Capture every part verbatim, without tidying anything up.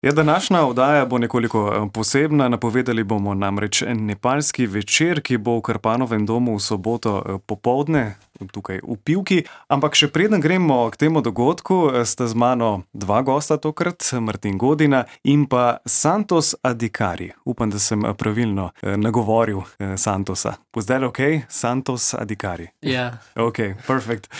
Ja, današnja oddaja bo nekoliko posebna. Napovedali bomo namreč nepalski večer, ki bo v Krpanovem domu v soboto popoldne, tukaj v Pivki. Ampak še preden gremo k temu dogodku, sta z mano dva gosta tokrat, Martin Godina in pa Santos Adhikari. Upam, da sem pravilno nagovoril Santosa. Was that okay? Santos Adhikari. Yeah. Okay, perfect.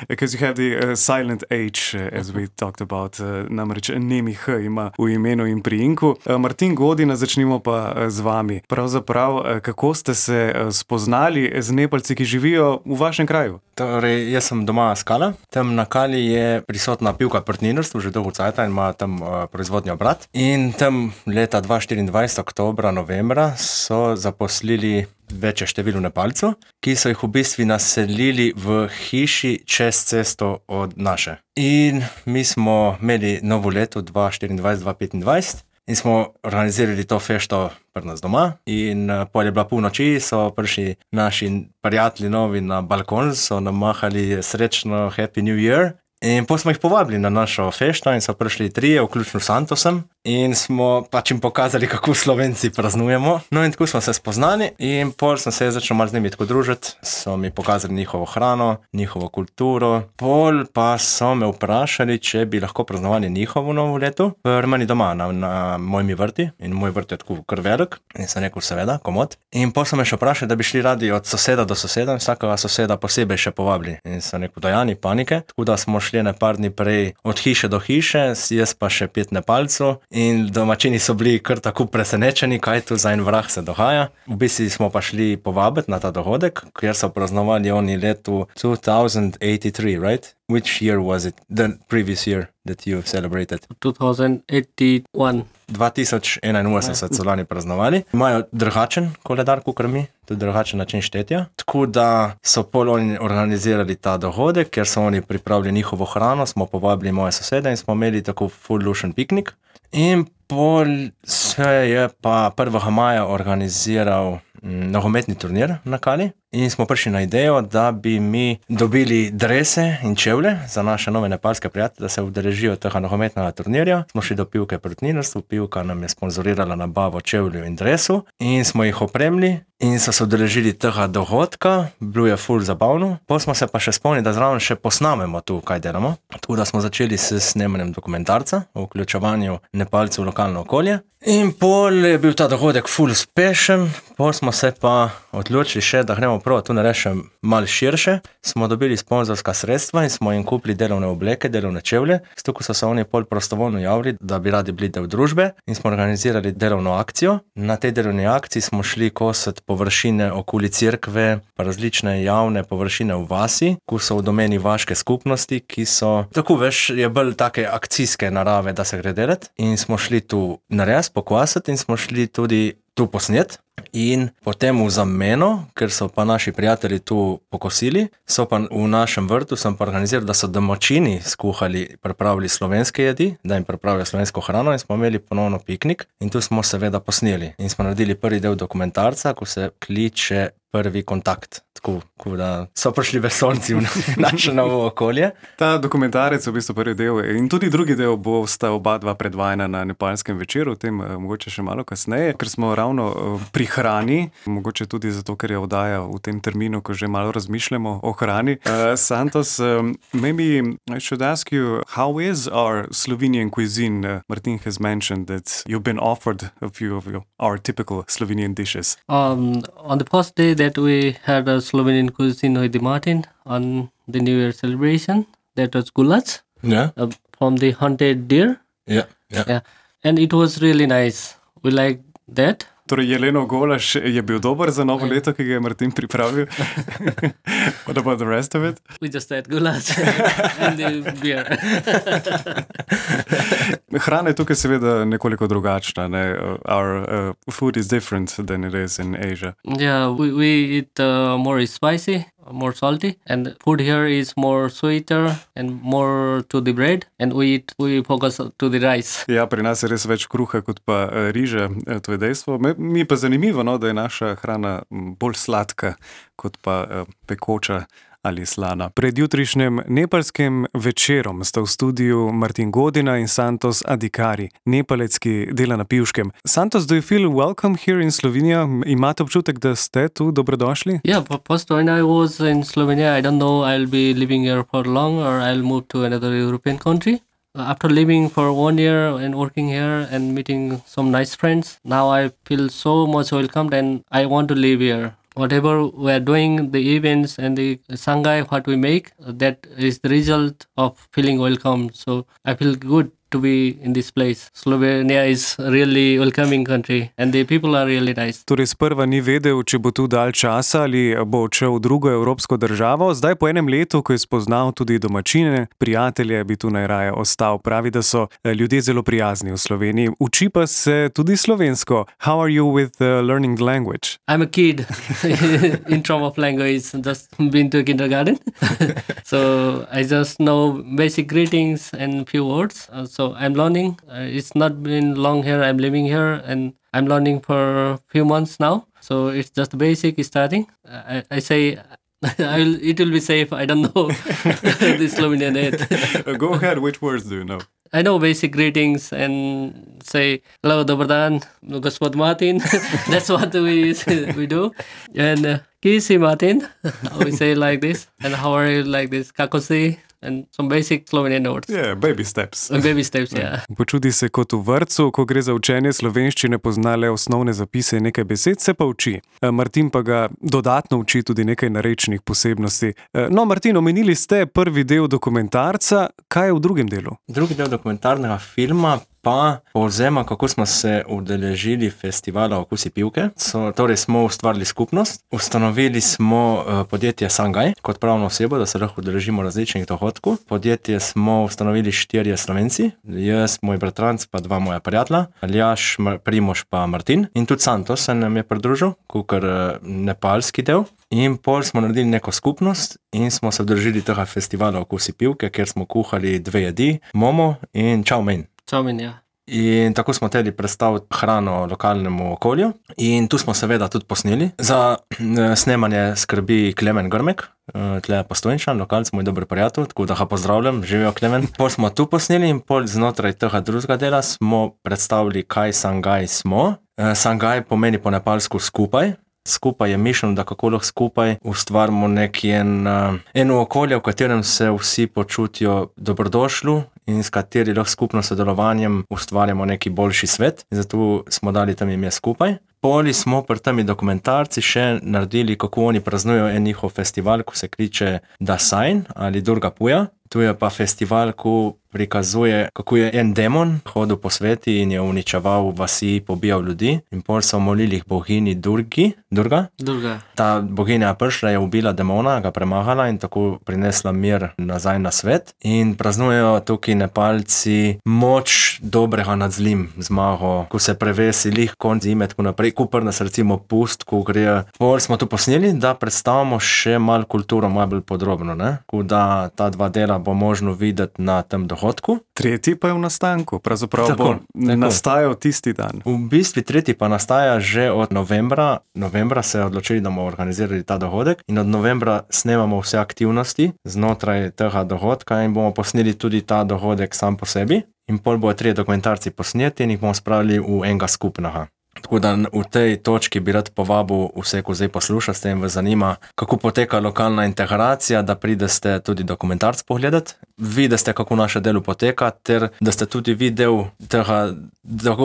Because you have the uh, silent H, uh, as we talked about. Uh, namreč nemi H ima v imenu in priimku. Uh, Martin Godina, začnimo pa uh, z vami. Pravzaprav, uh, kako ste se uh, spoznali z Nepalci, ki živijo v vašem kraju? Torej, jaz sem doma s Kala. Tam na Kali je prisotna Pivka partnerstvo, že dolgo cajta in ima tam uh, proizvodni obrat. In tam leta dva tisoč štiriindvajset, oktobra, novembra, so zaposlili večje število Nepalcev, ki so jih v bistvu naselili v hiši čez cesto od naše. In mi smo imeli novo leto dva tisoč štiriindvajset dva tisoč petindvajset in smo organizirali to fešto pri nas doma. In uh, pol je bila pol noči, so prišli naši prijatelji novi na balkon, so nam mahali srečno Happy New Year. In potem smo jih povabili na našo fešto in so prišli trije, vključno Santosem. In smo pač jim pokazali, kako Slovenci praznujemo. No in tako smo se spoznali in pol sem se začel malo z njimi tako družiti. So mi pokazali njihovo hrano, njihovo kulturo. Pol pa so me vprašali, če bi lahko praznovali njihovo novo leto pri meni doma na, na mojimi vrti. In moj vrt je tako kar velik. In sem rekel, seveda, komod. In pol so me še vprašali, da bi šli radi od soseda do soseda in vsakega soseda posebej še povabili. In sem rekel, da ja, ni panike. Tako da smo šli ne par dni prej od hiše do hiše, jaz pa še pet Nepalcev. In domačini so bili kar tako presenečeni, kaj tu za en vrah se dogaja. V bistvu smo pa šli povabiti na ta dogodek, kjer so praznovali oni letu two thousand eighty-three, right? Which year was it? The previous year that you celebrated? two thousand eighty-one. dva tisoč enainosemdeset so lani praznovali. Imajo drugačen koledar, kakor mi, tudi drugačen način štetja. Tako da so pol oni organizirali ta dogodek, ker so oni pripravili njihovo hrano, smo povabili moje sosede in smo imeli tako full lušen piknik. In pol se je pa prvega maja organiziral nogometni turnir na Kali in smo prišli na idejo, da bi mi dobili drese in čevlje za naše nove nepalske prijatelje, da se udeležijo tega nogometnega turnirja. Smo šli do Pivke partnerstvo, Pivka nam je sponzorirala nabavo čevlju in dresu in smo jih opremili in so se udeležili tega dogodka. Bilo je ful zabavno. Potem smo se pa še spomnili, da zraven še posnamemo tu, kaj delamo. Tako da smo začeli s snemanjem dokumentarca o vključevanju Nepalcev v lokalno okolje. In pol je bil ta dogodek ful uspešen, pol smo se pa odločili še, da gremo prav tu narešem malo širše. Smo dobili sponzorska sredstva in smo jim kupili delovne obleke, delovne čevlje. S tako so se oni pol prostovoljno javili, da bi radi bili del družbe in smo organizirali delovno akcijo. Na tej delovni akciji smo šli kosati površine okoli cerkve, pa različne javne površine v vasi, ko so v domeni vaške skupnosti, ki so, tako veš, je bolj take akcijske narave, da se gre delati. In smo šli tu nares pokvasiti in smo šli tudi tu posnet. In potem v zameno, ker so pa naši prijatelji tu pokosili, so pa v našem vrtu sem pa organiziral, da so domačini skuhali, pripravili slovenske jedi, da jim pripravijo slovensko hrano in smo imeli ponovno piknik in tu smo seveda posneli. In smo naredili prvi del dokumentarca, ko se kliče Prvi kontakt. Tako, tako da so prišli vesoljci v naše novo okolje. Ta dokumentarec v bistvu prvi del in tudi drugi del bo sta oba dva predvajana na nepalskem večeru, o tem mogoče še malo kasneje, ker smo ravno pri hrani, mogoče tudi zato, ker je oddaja v tem terminu, ko že malo razmišljamo o hrani. Uh, Santos, um, maybe I should ask you, how is our Slovenian cuisine? Uh, Martin has mentioned that you've been offered a few of your, our typical Slovenian dishes. Um, on the first day that we had a Slovenian cuisine with the Martin on the New Year celebration, that was goulash. Yeah. Uh, from the hunted deer. Yeah, yeah. Yeah. And it was really nice. We liked that. Torej, jelenov golaž je bil dober za novo leto, ki ga je Martin pripravil. What about the rest of it? We just had goulash and the beer. Hrana je tukaj seveda nekoliko drugačna. Ne? Our uh, food is different than it is in Asia. Yeah, we, we eat uh, more spicy, more salty, and food here is more sweeter and more to the bread, and we eat, we focus to the rice. Ja, pri nas je res več kruha kot pa riže, to je dejstvo. Mi je pa zanimivo, no, da je naša hrana bolj sladka kot pa pekoča ali slana. Pred jutrišnjem nepalskim večerom sta v studiu Martin Godina in Santos Adhikari, Nepalec, ki dela na Pivškem. Santos, do you feel welcome here in Slovenia? Imate občutek, da ste tu dobrodošli? Yeah, but first when I was in Slovenia, I don't know I'll be living here for long or I'll move to another European country. After living for one year and working here and meeting some nice friends, now I feel so much welcomed and I want to live here. Whatever we are doing, the events and the Sangai, what we make, that is the result of feeling welcome. So I feel good to be in this place. Slovenia is a really welcoming country and the people are really nice. Torej sprva ni vedel, če bo tu dalj časa ali bo odšel v drugo evropsko državo. Zdaj po enem letu, ko je spoznal tudi domačine, prijatelje, bi tu najraje ostal. Pravi, da so ljudje zelo prijazni v Sloveniji. Uči pa se tudi slovensko. How are you with uh, learning the language? I'm a kid in terms of language, just been to kindergarten. So I just know basic greetings and few words. Uh, So I'm learning. Uh, it's not been long here. I'm living here and I'm learning for a few months now. So it's just basic starting. I, I say I will, it will be safe. I don't know the Slovenian yet. Go ahead. Which words do you know? I know basic greetings and say hello, dobar dan, gospod Martin. That's what we we do. And uh, ki si Martin? We say like this. And how are you like this? Kako si? And some basic Slovenian words. Yeah, baby steps. Baby steps, yeah. Počuti se kot v vrtcu, ko gre za učenje slovenščine, pozna le osnovne zapise in nekaj besed, se pa uči. Martin pa ga dodatno uči tudi nekaj narečnih posebnosti. No, Martin, omenili ste prvi del dokumentarca, kaj je v drugem delu? Drugi del dokumentarnega filma pa povzema, kako smo se udeležili festivala Okusi pivke. So, torej smo ustvarili skupnost, ustanovili smo uh, podjetje Sangai kot pravno osebo, da se lahko udeležimo različnih dohodkov. Podjetje smo ustanovili štirje Slovenci, jaz, moj bratranc pa dva moja prijatelja, Aljaž, Primož pa Martin. In tudi Santos se nam je pridružil, kakor uh, nepalski del. In pol smo naredili neko skupnost in smo se udeležili tega festivala Okusi pivke, kjer smo kuhali dve jedi, momo in chow mein. Čaumin, ja. In tako smo hteli predstaviti hrano lokalnemu okolju in tu smo seveda tudi posneli. Za snemanje skrbi Klemen Grmek, tle Postojnčan, lokalc, moj dober prijatelj, tako da ga pozdravljam, živijo Klemen. Pol smo tu posneli in pol znotraj tega drugega dela smo predstavili, kaj Sangai smo. Sangai pomeni po nepalsku skupaj. Skupaj je mišljeno, da kako lahko skupaj ustvarimo neki en, eno okolje, v katerem se vsi počutijo dobrodošli in s kateri lahko skupno sodelovanjem ustvarjamo neki boljši svet. In zato smo dali tam ime skupaj. Poli smo pri temi dokumentarci še naredili, kako oni praznujejo en njihov festival, ko se kliče Dasain ali Durga Puja. Tu je pa festival, ko prikazuje, kako je en demon hodil po sveti in je uničeval vasi, pobijal ljudi. In pol so molili boginji Durgi, Durga. Durga. Ta boginja prišla, je ubila demona, ga premahala in tako prinesla mir nazaj na svet. In praznujejo tukaj Nepalci moč dobrega nad zlim, zmago, ko se prevesi lih konc zime, tako naprej, ko prnas recimo pust, ko gre. Pol smo tu posneli, da predstavimo še malo kulturo, malo bolj podrobno, ne? Ko da ta dva dela bo možno videti na tem dohodku. Tretji pa je v nastanku, pravzaprav Tako, bo tako. nastajal tisti dan. V bistvu tretji pa nastaja že od novembra. Novembra se je odločili, da bomo organizirali ta dohodek in od novembra snemamo vse aktivnosti znotraj tega dohodka in bomo posneli tudi ta dohodek sam po sebi. In pol bojo trije dokumentarci posneti in jih bomo spravili v enega skupnega. Tako da v tej točki bi rad povabil vse, ko zdaj posluša, s tem vas zanima, kako poteka lokalna integracija, da prideste tudi dokumentarc pogledati, videste, kako naše delo poteka, ter da ste tudi vi del tega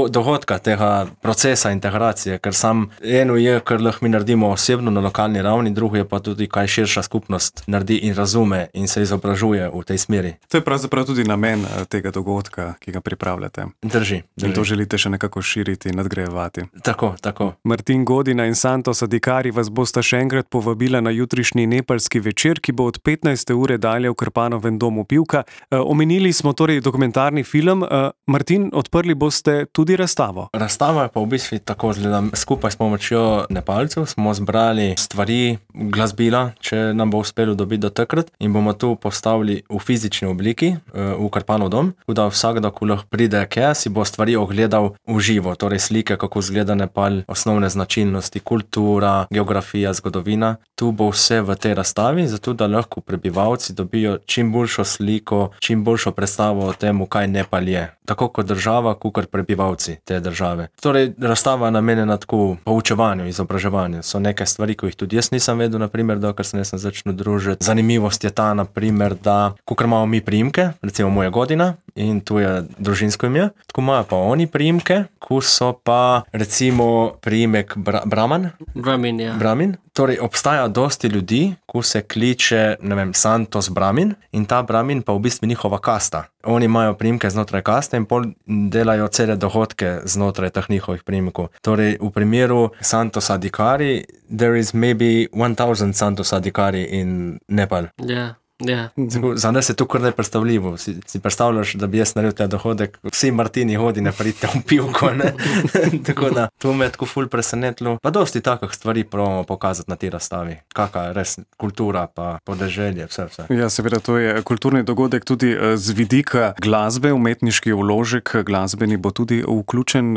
dogodka, tega procesa integracije, ker sam eno je, kar lahko mi naredimo osebno na lokalni ravni, drugo je pa tudi, kaj širša skupnost naredi in razume in se izobražuje v tej smeri. To je pravzaprav tudi namen tega dogodka, ki ga pripravljate. Drži. drži. In to želite še nekako širiti in nadgrajevati. Tako, tako. Martin Godina in Santos Adhikari vas bosta še enkrat povabila na jutrišnji nepalski večer, ki bo od petnajste ure dalje v Krpanovem domu Pivka. E, omenili smo torej dokumentarni film. E, Martin, odprli boste tudi razstavo. Razstava je pa v bistvu tako zgleda. Skupaj s pomočjo Nepalcev smo zbrali stvari, glasbila, če nam bo uspelo dobiti do takrat, in bomo tu postavili v fizični obliki v Krpanov dom, tako da vsakdo, ko lahko pride, kje si bo stvari ogledal v živo, torej slike, kako zgleda pogleda Nepal, osnovne značilnosti, kultura, geografija, zgodovina. Tu bo vse v tej razstavi, zato da lahko prebivalci dobijo čim boljšo sliko, čim boljšo predstavo o tem, kaj Nepal je. Tako kot država, kakor prebivalci te države. Torej, razstava je namenjena tako poučevanju, izobraževanju. So neke stvari, ki jih tudi jaz nisem vedel, naprimer, dokler se nisem začel družiti. Zanimivost je ta, naprimer, da kakor imamo mi priimke, recimo moja Godina, in tu je družinsko ime, tako imajo pa oni priimke, ko so pa recimo priimek Bra- Brahman. Brahmin, ja. Brahmin. Torej, obstaja dosti ljudi, ko se kliče, ne vem, Santos Brahmin, in ta Brahmin pa v bistvu njihova kasta. Oni imajo priimke znotraj kaste in pol delajo cele dohodke znotraj teh njihovih priimkov. Torej, v primeru Santos Adhikari, there is maybe one thousand Santos Adhikari in Nepal. Yeah. Yeah. Za nas je to kar nepredstavljivo. Si, si predstavljaš, da bi jaz naredil ta dohodek, vsi Martini hodi ne pridite v pivko, ne? Tako da, to me je tako ful presenetilo. Pa dosti takih stvari probamo pokazati na tej razstavi. Kakva je res kultura, pa podeželje, vse, vse. Ja, seveda, to je kulturni dogodek tudi z vidika glasbe, umetniški vložek glasbeni bo tudi vključen.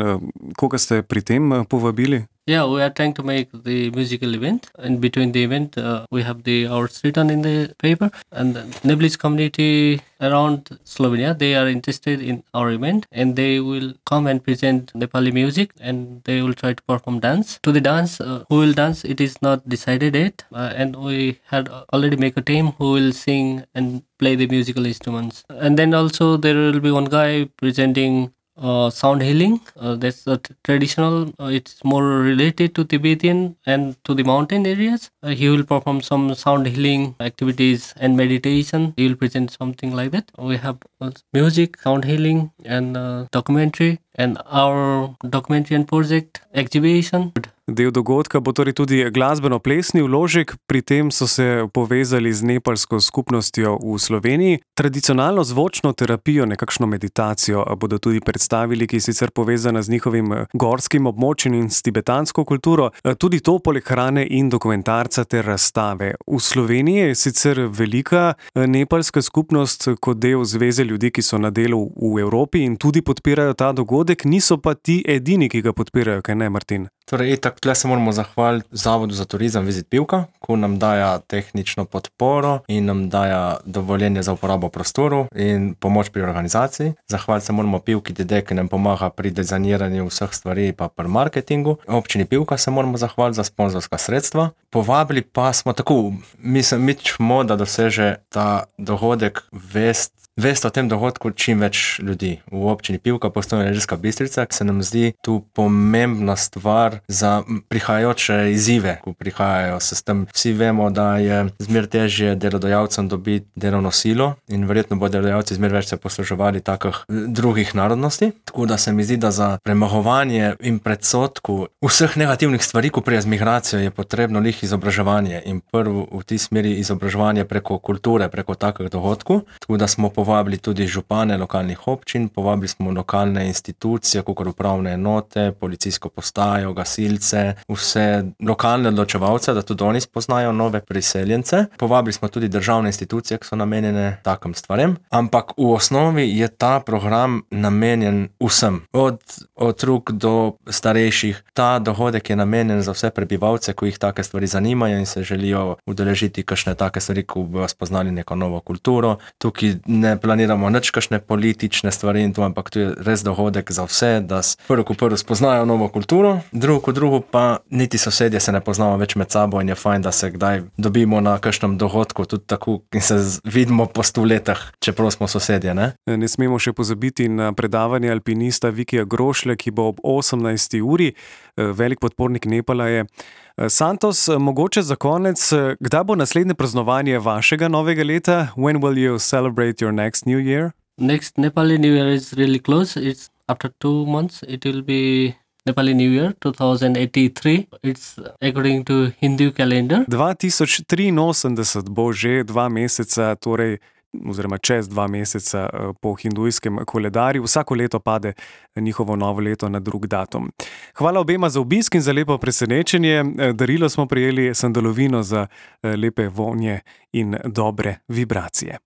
Koga ste pri tem povabili? Yeah, we are trying to make the musical event. In between the event, uh, we have the hours written in the paper. And the Nepalese community around Slovenia, they are interested in our event. And they will come and present Nepali music. And they will try to perform dance. To the dance, uh, who will dance, it is not decided yet. Uh, and we had already make a team who will sing and play the musical instruments. And then also there will be one guy presenting Uh, sound healing. Uh, that's a t- traditional. Uh, it's more related to Tibetan and to the mountain areas. Uh, he will perform some sound healing activities and meditation. He will present something like that. We have uh, music, sound healing, and uh, documentary. And our documentary and project exhibition. Del dogodka bo torej tudi glasbeno-plesni vložek, pri tem so se povezali z nepalsko skupnostjo v Sloveniji. Tradicionalno zvočno terapijo, nekakšno meditacijo bodo tudi predstavili, ki je sicer povezana z njihovim gorskim območjem in s tibetansko kulturo. Tudi to poleg hrane in dokumentarca ter razstave. V Sloveniji je sicer velika nepalska skupnost kot del zveze ljudi, ki so na delu v Evropi in tudi podpirajo ta dogodek, niso pa ti edini, ki ga podpirajo, kaj ne, Martin? Torej, etak, tle se moramo zahvaliti Zavodu za turizem Vizit Pivka, ko nam daja tehnično podporo in nam daja dovoljenje za uporabo prostoru in pomoč pri organizaciji. Zahvaliti se moramo Pivki D D, ki nam pomaga pri dizajniranju vseh stvari pa pri marketingu. Občini Pivka se moramo zahvaliti za sponzorska sredstva. Povabili pa smo tako, mislim, mi čmo, da doseže ta dogodek vest, vest o tem dogodku čim več ljudi. V občini Pivka, Postojna Ilirska Bistrica, se nam zdi tu pomembna stvar za prihajajoče izzive, ko prihajajo se s tem. Vsi vemo, da je zmer težje delodajalcem dobiti delovno silo in verjetno bo delodajalci zmer več se posluževali takih drugih narodnosti. Tako da se mi zdi, da za premagovanje in predsodku vseh negativnih stvari, ko prije z migracijo, je potrebno lih izobraževanje in prvo v tej smeri izobraževanje preko kulture, preko takih dogodkov. Tako da smo povabili tudi župane lokalnih občin, povabili smo lokalne institucije, kakor upravne enote, policijsko postajo, gasilce, vse lokalne odločevalce, da tudi oni spoznajo nove priseljence. Povabili smo tudi državne institucije, ki so namenjene takim stvarem, ampak v osnovi je ta program namenjen vsem, od otrok do starejših. Ta dogodek je namenjen za vse prebivalce, ko jih take stvari zanimajo in se želijo udeležiti kakšne take stvari, ko bojo spoznali neko novo kulturo. Tukaj ne planiramo nič kakšne politične stvari in to, ampak to je res dogodek za vse, da prvo ko prvo spoznajo novo kulturo, drugo ko drugo pa niti sosedje se ne poznamo več med sabo in je fajn, da se kdaj dobimo na kakšnem dogodku tudi tako in se vidimo po sto letah, čeprav smo sosedje, ne? Ne smemo še pozabiti na predavanje alpinista Vikija Grošlja, ki bo ob osemnajsti uri, velik podpornik Nepala je. Santos, mogoče za konec, kdaj bo naslednje praznovanje vašega novega leta? When will you celebrate your next New Year? Next Nepali New Year is really close. It's after two months. It will be Nepali New Year twenty eighty-three. It's according to Hindu calendar. dva tisoč triinosemdeset bo že dva meseca, torej oziroma čez dva meseca po hindujskem koledarju. Vsako leto pade njihovo novo leto na drug datum. Hvala obema za obisk in za lepo presenečenje. Darilo smo prejeli sandalovino za lepe vonje in dobre vibracije.